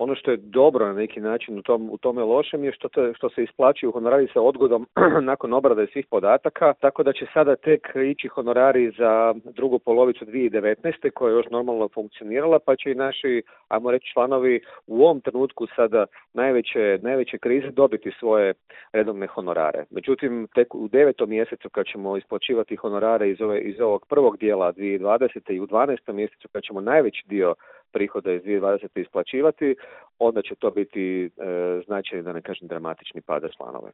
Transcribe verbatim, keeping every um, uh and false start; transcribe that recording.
Ono što je dobro na neki način u, tom, u tome lošem je što, te, što se isplaćuju honorari sa odgodom nakon obrade svih podataka, tako da će sada tek ići honorari za drugu polovicu dvije tisuće devetnaeste koja je još normalno funkcionirala, pa će i naši, ajmo reći, članovi u ovom trenutku sada najveće, najveće krize dobiti svoje redovne honorare. Međutim, tek u devetom mjesecu kad ćemo isplaćivati honorare iz, ove, iz ovog prvog dijela dvije tisuće dvadesete i u dvanaestom mjesecu kad ćemo najveći dio prihoda iz dvije tisuće dvadesete isplaćivati, onda će to biti e, značajni, da ne kažem, dramatični pada članove.